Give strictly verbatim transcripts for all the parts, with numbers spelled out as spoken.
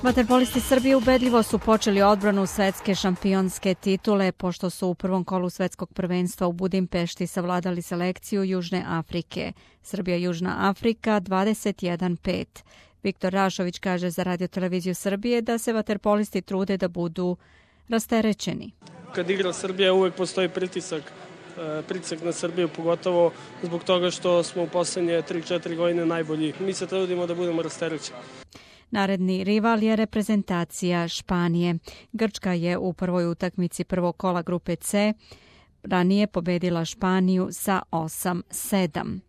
Vaterpolisti Srbije ubedljivo su počeli odbranu svetske šampionske titule pošto su u prvom kolu svetskog prvenstva u Budimpešti savladali selekciju Južne Afrike. Srbija-Južna Afrika dvadeset jedan pet. Viktor Rašović kaže za Radio-televiziju Srbije da se vaterpolisti trude da budu rasterećeni. Kad igra Srbija uvek postoji pritisak, pritisak na Srbiju, pogotovo zbog toga što smo u poslednje tri četiri godine najbolji. Mi se trudimo da budemo rasterećeni. Naredni rival je reprezentacija Španije. Grčka je u prvoj utakmici prvog kola grupe C ranije pobedila Španiju sa osam sedam.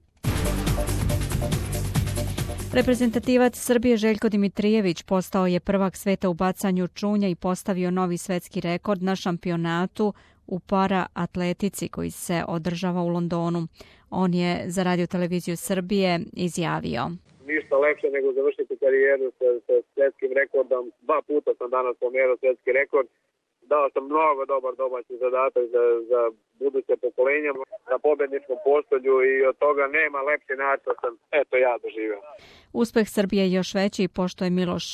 Reprezentativac Srbije Željko Dimitrijević postao je prvak sveta u bacanju čunja i postavio novi svetski rekord na šampionatu u para-atletici koji se održava u Londonu. On je za Radio-televiziju Srbije izjavio: Ništa lepše nego završiti karijeru sa, sa svjetskim rekordom. Dva puta sam danas pomerao svjetski rekord. Dao sam mnogo dobar domaći zadatak za, za buduće pokolenja na pobjedničkom postolju i od toga nema lepši način sam eto ja doživio. Uspeh Srbije je još veći pošto je Miloš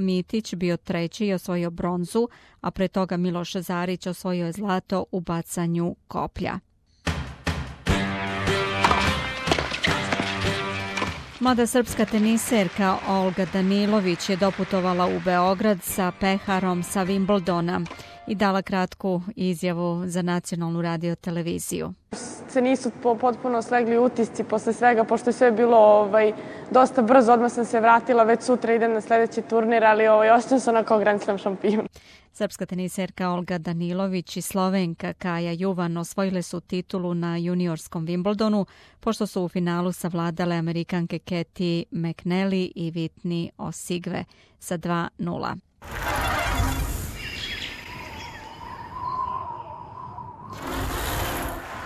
Mitić bio treći i osvojio bronzu, a pre toga Miloš Zarić osvojio je zlato u bacanju koplja. Mlada srpska teniserka Olga Danilović je doputovala u Beograd sa peharom sa Wimbledona i dala kratku izjavu za nacionalnu radio-televiziju. Se nisu potpuno slegli utisci posle svega, pošto je sve bilo ovaj, dosta brzo, odmah sam se vratila, već sutra idem na sljedeći turnir, ali ovaj, ostao sam onako Grand Slam šampion. Srpska teniserka Olga Danilović i Slovenka Kaja Juvan osvojile su titulu na juniorskom Wimbledonu, pošto su u finalu savladale Amerikanke Katie McNally i Whitney Osigve sa dva nula.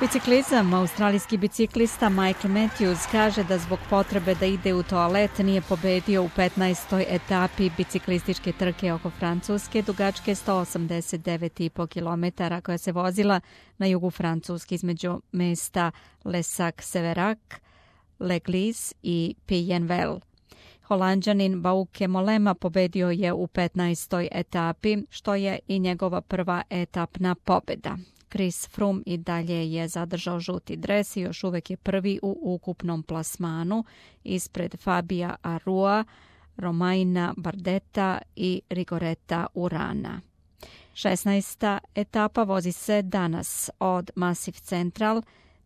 Biciklizam. Australijski biciklista Michael Matthews kaže da zbog potrebe da ide u toalet nije pobedio u petnaestoj etapi biciklističke trke oko Francuske dugačke sto osamdeset devet i po kilometara koja se vozila na jugu Francuske između mesta Lesac-Severac, L'Église i Puyenvel. Holanđanin Bauke Mollema pobedio je u petnaestoj etapi, što je i njegova prva etapna pobjeda. Chris Froome i dalje je zadržao žuti dres i još uvek je prvi u ukupnom plasmanu ispred Fabija Arua, Romaina Bardeta i Rigoreta Urana. šesnaesta etapa vozi se danas od Massif Central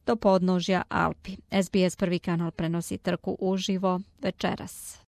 do podnožja Alpi. S B S prvi kanal prenosi trku uživo večeras.